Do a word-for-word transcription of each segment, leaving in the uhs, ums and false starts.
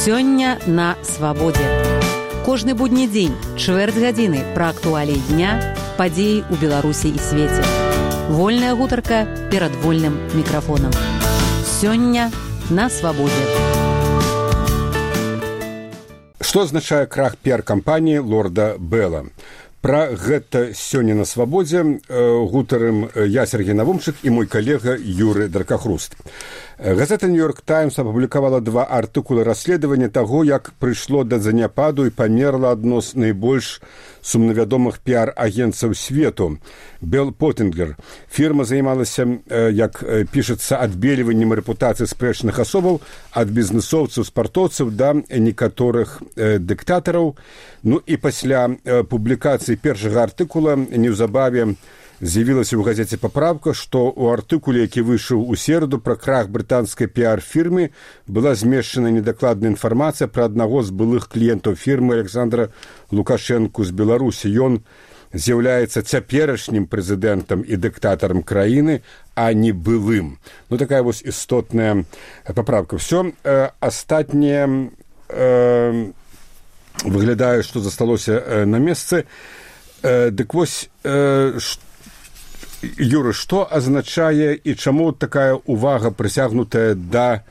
Сёння на свабодзе. Кожны будні дзень, чвэрць гадзіны пра актуаліі дня, падзеі ў Беларусі і свеце. Вольная гутарка перад вольным мікрафонам. Сёння на свабодзе. Што азначае крах піар-кампаніі лорда Белла? Пра гэта сёння на свабодзе гутарым я, Сергей Навумчык, і мой калега Юры Даркахруст. Газета «Нью-Йорк Таймс» апублікавала два артыкулы расследавання таго, як прыйшло да заняпаду і памерла адно з найбольш сумнавядомых піар-агенцаў свету – Белл Поттингер. Фірма займалася, як пішацца, адбельваннем рэпутацыі спрэчных асобаў ад бізнесоўцаў, спартоўцаў да некаторых дыктатараў. Ну і пасля публікацыі першага артыкула неўзабаве з'явілася ў газеце папраўка, што ў артыкуле, які выйшаў у сераду пра крах брытанскай піар-фірмы, была змешчана недакладная інфармацыя пра аднаго з былых кліентаў фірмы Александра Лукашэнку з Беларусі. Ён з'яўляецца цяперашнім прэзідэнтам і дыктатарам краіны, а не былым. Ну, такая вось істотная папраўка. Всё э, астатняе э, выглядае, што засталося э, на месцы. Э, дык вось, э, Юра, што азначае і чаму такая ўвага прысягнутая да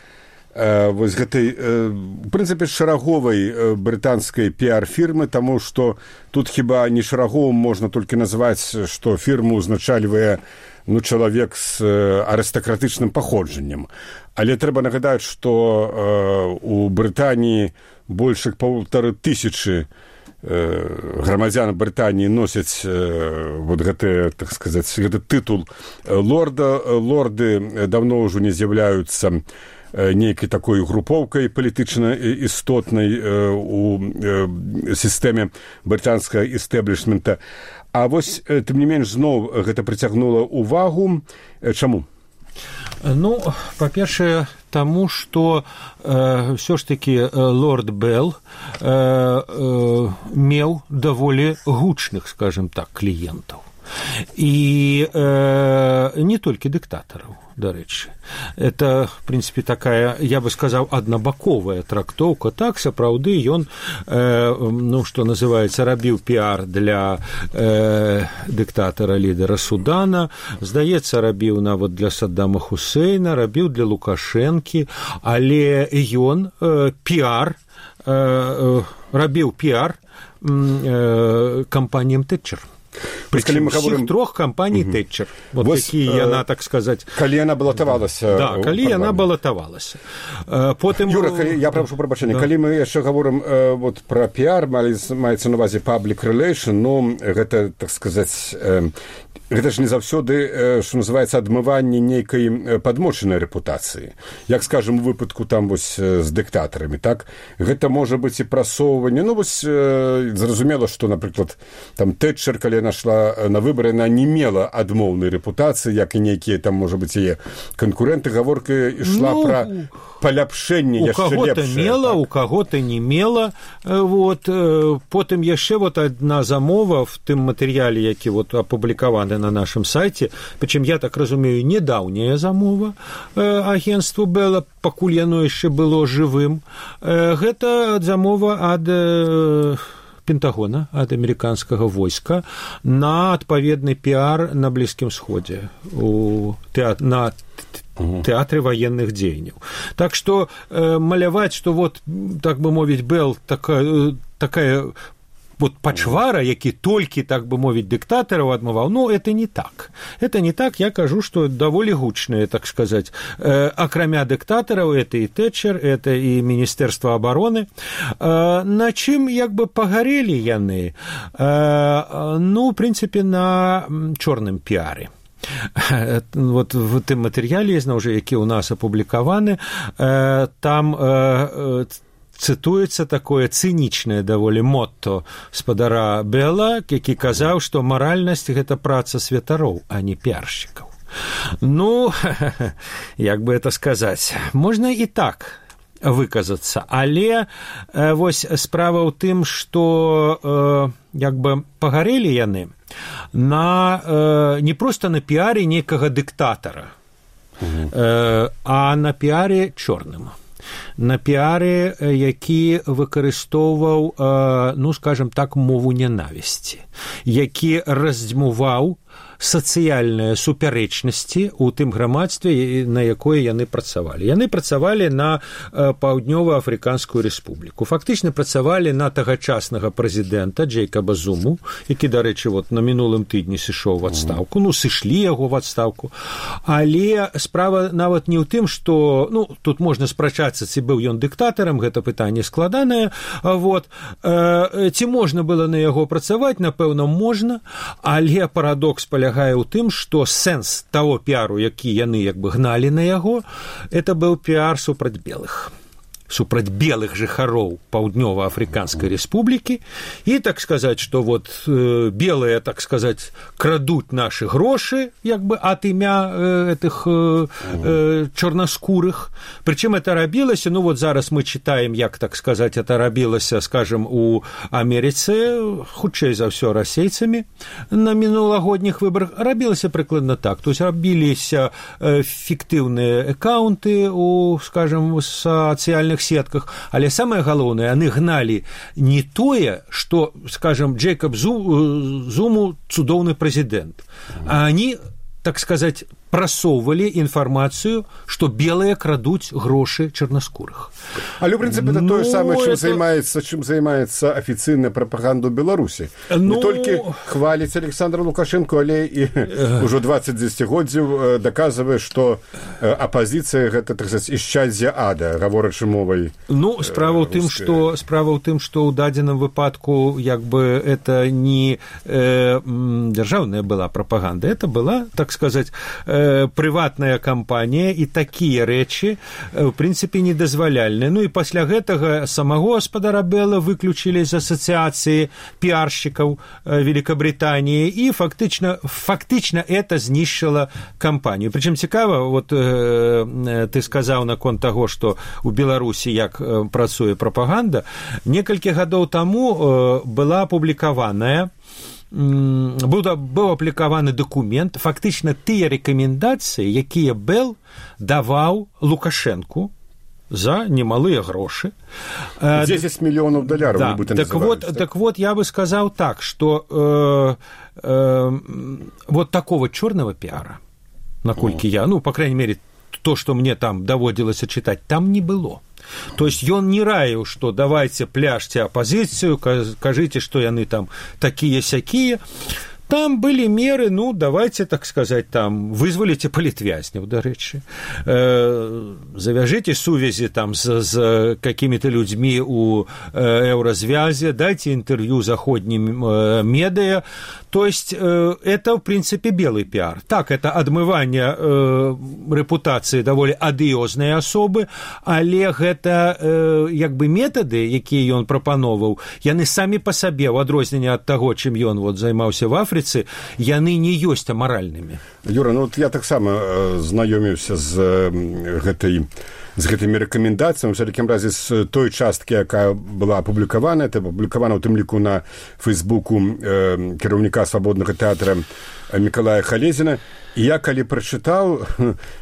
э, вось гэтай, э, в прынцыпе, шараговай э, брытанскай піар-фірмы, таму што тут хіба не шараговым можна толькі назваць, што фірму ўзначальвае ну, чалавек з э, арыстакратычным паходжаннем. Але трэба нагадаць, што э, у Брытаніі больш як паўтары тысячы грамадзян Брытаніі носяць э, вот гэты, так сказаць, гэты тытул лорда. Лорды давно ўжо не з'яўляюцца нейкай такой групоўкай палітычна істотнай э, у э, сістэме брытанскага істэблішмента. А вось, тым не менш, зноў гэта прыцягнула ўвагу. Чаму? Ну, па-першае, таму, што э, ўсё ж такі э, лорд Белл э, э, меў даволі гучных, скажем так, кліентаў. І э, не толькі дыктатараў, дарэчы. Это, в прынцыпе, такая, я бы сказаў, аднабаковая трактоўка. Так, сапраўды, ён, э, ну, што называецца, рабіў піар для э, дыктатара-лідара Судана, здаецца, рабіў нават для Саддама Хусейна, рабіў для Лукашэнкі, але ён э, піар, э, рабіў піар э, кампаніям Тэтчер. Причем всіх трох кампаній угу. Тэтчер, вот вось, які э, яна, так сказаць... Калі яна балатавалася... Да, калі яна балатавалася. Э, потым... Юра, калі, я прашу прабачэння, да. Калі мы яшчэ гаворым э, вот, пра піар, маецца на ўвазе public relation, ну, гэта, так сказаць... Э, гэта ж не заўсёды, што называецца, адмыванне нейкай падмочанай рэпутацыі. Як, скажем, у выпадку там вось з дыктатарамі, так? Гэта можа быць і прасоўванне. Ну, вось, зразумела, што, напрыклад, там Тэтчер, калі яна шла на выбары, яна не мела адмоўнай рэпутацыі, як і нейкія там, можа быць, яе канкурэнты. Гаворка ішла ну... пра паляпшэнне яшчэ лепшае. У каго-то мела, так? У каго-то не мела. Вот. Потым яшчэ вот адна замова в тым матэрыяле, які вот апублікаваны на нашым сайце, прычым, я так разумею, недаўняя замова э, агенству Белла, пакуль яно яшчэ было жывым. Э, гэта замова ад э, Пентагона, ад амерыканскага войска на адпаведны піар на Блізкім Сходзе, у тэат... на тэатры военных дзеянняў. Так што э, маляваць, што вот, так бы мовіць, Белл такая, такая вот пачвара, які толькі, так бы мовіць, дыктатараў адмываў, ну, это не так. Это не так, я кажу, што даволі гучныя, так сказаць. Э, акрамя дыктатараў, это і Тэтчер, это і Міністэрства абароны. Э, на чым, як бы, пагарэлі яны? Э, ну, в прынцыпе, на чорным піары. Вот в тым матэрыяле, зноў жа, які ў нас апублікаваны, э, там э, цытуецца такое цынічнае даволі мотто спадара Белла, які казаў, што маральнасць – гэта праца святароў, а не піаршчыкаў. Ну, як бы это сказаць, можна і так выказацца, але э, вось справа ў тым, што э, як бы пагарэлі яны на, э, не проста на піаре некага дыктатара, угу. э, а на піаре чорным. на піары, які выкарыстоўваў, ну, скажем так, мову нянавісці, які раздзьмуваў сацыяльныя супярэчнасці ў тым грамадстве, на якое яны працавалі. Яны працавалі на Паўднёва-Афрыканскую рэспубліку. Фактычна працавалі на тагачаснага прэзідэнта Джейкаба Зуму, які, дарэчы, вот, на мінулым тыдні сышоў в адстаўку. Ну, сышлі яго в адстаўку. Але справа нават не ў тым, што, ну, тут можна спрачацца, ці быў ён дыктатарам, гэта пытанне складанае. Вот. Ці можна было на яго працаваць? Напэўна, можна, але парадокс палягае ў тым, што сэнс таго піару, які яны як бы гналі на яго, это быў піар супраць белых. Супраць белых жыхароў Паўднёва-Афрыканскай рэспублікі, і, так сказаць, што вот э, белыя, так сказаць, крадуць нашы грошы, як бы ад імя э, этих э, э, чорнаскурых. Прычым это рабілася, ну вот зараз мы читаем, як, так сказаць, это рабілася, скажем, у Амерыцы, хутчэй за ўсё расейцамі на мінулагодніх выбарах, рабілася прыкладна так. То есть рабіліся э, фіктыўныя аккаунты у, скажем, сацыяльных сетках, але самае галоўнае, яны гналі не тое, што, скажем, Джейкаб Зуму цудоўны прэзідэнт, а они, так сказаць, прасоўвалі інфармацыю, што белыя крадуць грошы чарнаскурых. Але, ў прынцыпе, это ну, тое самае, чым это... займаецца, чым займаецца афіцыйная прапаганда Беларусі. Ну... Не толькі хваліць Александра Лукашенко, але і ўжо дваццаць дзесяцігоддзяў даказвае, што апазіцыя гэта, так сказаць, ісчадзе ада, гаворачы мовай. Ну, справа ў тым, што справа ў тым, што ў дадзеным выпадку як бы это не э, дзяржаўная была прапаганда, это была, так сказаць, э, прыватная кампанія, і такія рэчы, в прынцыпе, недазваляльныя. Ну і пасля гэтага самого гаспадара Бэла выключылі з асацыяцыі піаршчыкаў Великабритании, і фактычна, фактычна это знішчыла кампанію. Прычым цікава, вот э, ты сказаў наконт таго, што ў Беларусі як э, працуе прапаганда, некалькі гадоў таму э, была апублікаваная Быў, быў аплікаваны дакумент, фактычна тыя рэкамендацыі, якія Бэл даваў Лукашэнку за немалыя грошы. дзесяць мільёнаў даляраў. Да, так, вот, так? так вот, я бы сказал так, что э, э, вот такого черного пиара, наколькі я, ну, по крайней мере, то, что мне там даводилось читать, там не было. То есть ён не раіў, што давайте пляшце апазіцыю, кажыце, што яны там такія-сякія. Там были меры, ну, давайте, так сказать, там, вызволите политвязняў, дарэчы, э, завяжите сувязі там с, с какими-то людьми у э, еўразвязе, дайте интервью заходним э, медиа. То есть э, это, в принципе, белый пиар. Так, это адмыванне э, рэпутацыі даволі адыёзнай асобы, але гэта э, як бы метады, якія ён прапановаў, яны самі па сабе, у адрозненне ад таго, чым ён вот займаўся в Афрыцы, яны не ёсць амаральнымі. Юра, ну вот я таксама знаёміўся з гэтай з гэтымі рэкамендацыямі, у всякім разе з той часткі, якая была апублікавана, это апублікавана ў тым ліку на фейсбуку э, кіраўніка свабоднага тэатра Мікалая Халезіна. І я калі прачытаў,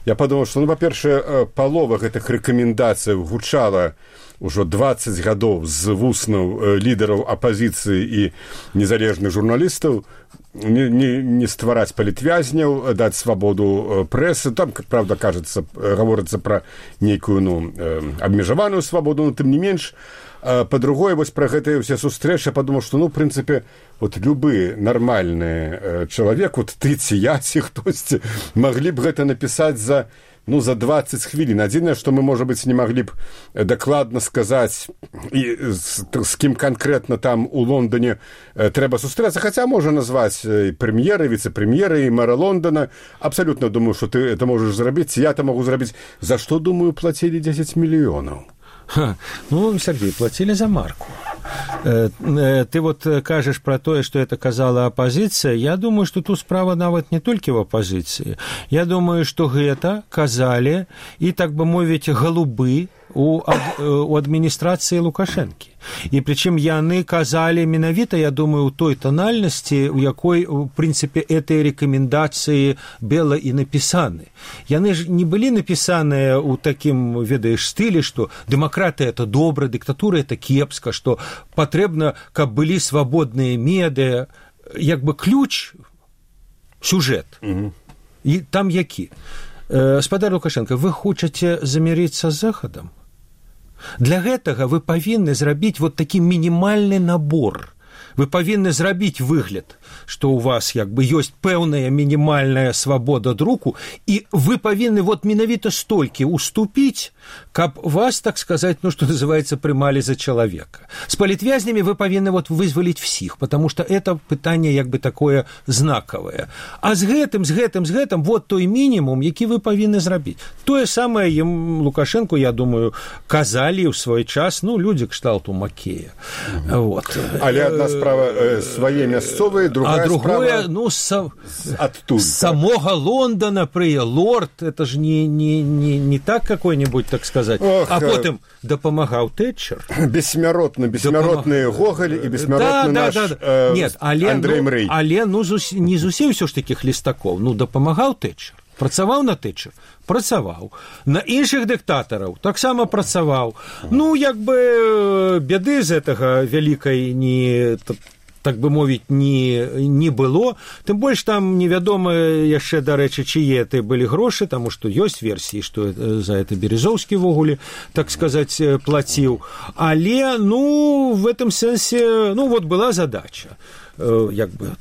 я падумаў, што, ну, па-першае, палова гэтых рэкамендацый гучала ўжо дваццаць гадоў з вуснаў лідараў апазіцыі і незалежных журналістаў, не, не, не ствараць палітвязняў, даць свабоду прэсы. Там, как правда, кажется, гаворыцца пра нейкую, ну, абмежаваную свабоду, но тым не менш. Па-другое, вось пра гэтыя ўсе сустрэчы падумаў, што, ну, в прынцыпе, вот любы нармальны чалавек, вот ты ці я, ці хтосьці, маглі б гэта напісаць за, ну, за дваццаць хвілін. Адзінае, што мы, можа быць, не маглі б дакладна сказаць, і з, з кім канкрэтна там у Лондоне трэба сустрэцца, хаця можа назваць і прэм'еры, віцэ-прэм'еры, і мэра Лондона. Абсалютна думаю, што ты это можаш зрабіць, я это магу зрабіць. За што, думаю, плацілі дзесяць мільёнаў? Ха, ну, Сергей, платили за марку. Ты вот кажешь про то, что это казала оппозиция. Я думаю, что тут справа нават не только в оппозиции. Я думаю, что это казали и, так бы мовить, голубы у, ад, у адміністрацыі Лукашэнкі. І прычым яны казалі менавіта, я думаю, у той тональнасці, у якой, у прынцыпе, гэтыя рэкамендацыі Бела і напісаны. Яны ж не былі напісаныя ў такім, ведаеш, стылі, што дэмакратыя – это добра, дыктатура – это кепска, што патрэбна, каб былі свабодныя медыа, як бы ключ, сюжэт. Mm-hmm. І там які? Спадар Лукашенко, вы хочаце замірыцца з Захадам? Для гэтага вы павінны зрабіць вот такі мінімальны набор. Вы павінны зрабіць выгляд, што ў вас як бы ёсць пэўная мінімальная свабода друку, і вы павінны вот менавіта столькі уступіць, каб вас, так сказаць, ну, што называется, прымалі за чалавека. С палітвязнямі вы павінны вот вызваліць всіх, потому что это пытанне як бы такое знакавае. А з гэтым, з гэтым, з гэтым, вот той мінімум, які вы павінны зрабіць. Тое самае ім Лукашенко, я думаю, казалі ў свой час, ну, людзі кшталту Макея. Mm-hmm. Вот. Але адна справа э, свае мясцовыя, другая а другое, справа ну, са... адтуль. С самого Лондона, при лорд, это же не, не, не, не так какой-нибудь, так сказать. Ох, а потом допомагал Тэтчер. Бессмяротно, бессмяротные Допомаг... Гоголь и бессмяротный да, наш да, да. Э, Нет, але, Андрей Мрей. Ну, але ну, зус... не зусім все ж таких лістаков. Ну, допомагал Тэтчер. Працаваў на Тэтчер? Працаваў. На іншых дыктатараў таксама працаваў. Ну, як бы бяды з гэтага вялікай не... так бы мовіць, не, не было. Тым больш там невядома яшчэ, дарэчы, чые ты былі грошы, таму што ёсць версіі, што за это Березоўскі ввогуле, так сказаць, плаціў. Але, ну, в этом сэнсе, ну, вот была задача, як бы,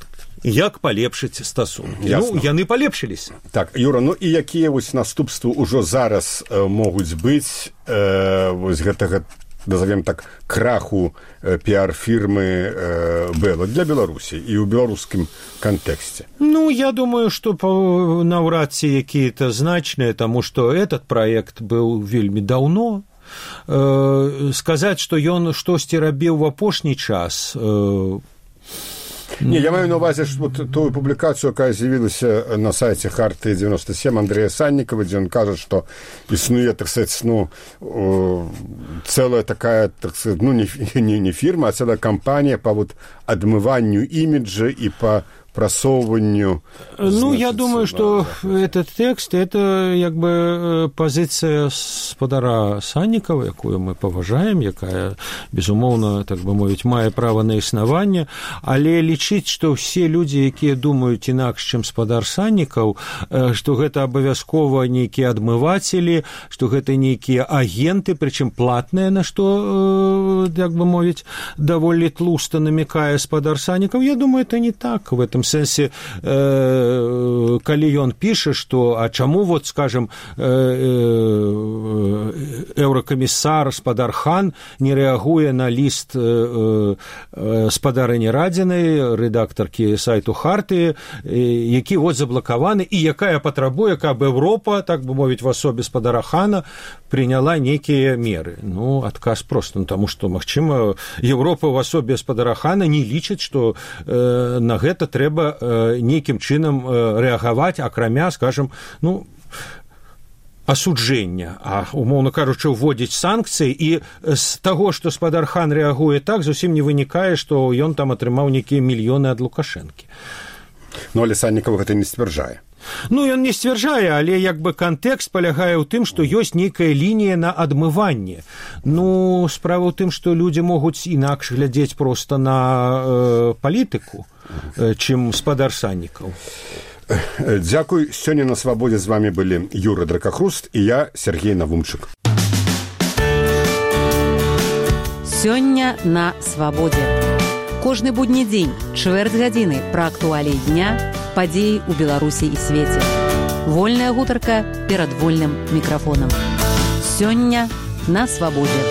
як палепшыць стасункі. Ясно. Ну, яны палепшыліся. Так, Юра, ну і якія вось наступствы ўжо зараз э, могуць быць э, вось гэтага, назовем так, краху э, піар-фірмы э, Бела для Беларусі і ў беларускім кантэксце? Ну, я думаю, што наўрад ці якія-то значныя, таму што этот праект быў вельмі даўно. Э, сказаць, што ён штосьці рабіў у апошні час... Э, Не, я маю на увазе вот тую публікацыю, якая з'явілася на сайце Харты девяносто семь Андрея Санникова, дзе ён кажа, што існуе, так сказать, ну, цэлая такая, так сказать, ну, не, не, не фірма, а цэлая кампанія па вот адмыванню іміджа і па просовыванию. Ну, значит, я думаю, что этот текст, это как бы позиция спадара Санникова, якую мы поважаем, якая, безумоўна, так бы мовіць, мае права на існаванне, але лічыць, што все людзі, якія думаюць інакш, чым спадар Санников, што гэта абавязкова нейкія адмывацелі, што гэта нейкія агенты, прычым платныя, на што, як бы мовіць, даволі тлуста намекае спадар Санников, я думаю, это не так. В этом сэнсе, э, калі ён піша, што, а чаму, вот, скажем, э, э, еўракамісар спадар Хан не рэагуе на ліст э, э, спадарыні Радзінай, рэдактаркі сайту Харты, э, які вот заблакаваны, і якая патрабуе, каб Еўропа, так бы мовіць, в асобе спадара Хана прыняла нейкія меры. Ну, адказ проста, ну, таму што, магчыма, Еўропа в асобе спадара Хана не лічыць, што э, на гэта трэба нейкім чынам рэагаваць, акрамя, скажем, ну, асуджэння, а, умоўна кажучы, уводзіць санкцыі, і з таго, што спадар Хан рэагуе так, зусім не вынікае, што ён там атрымаў нейкія мільёны ад Лукашэнкі. Ну, але Санников гэта не сцвярджае. Ну, ён не сцвярджае, але як бы кантэкст палягае ў тым, што ёсць нейкая лінія на адмыванне. Ну, справа ў тым, што людзі могуць інакш глядзець проста на э, палітыку, э, чым спадар Санников. Дзякуй. Сёння на свабодзе з вами былі Юра Дракахруст і я, Сергей Навумчык. Сёння на свабодзе. Кожны будні дзень, чвэрць гадзіны пра актуаліі дня, падзеі ў Беларусі і свеце. Вольная гутарка перад вольным мікрафонам. Сёння на свабодзе.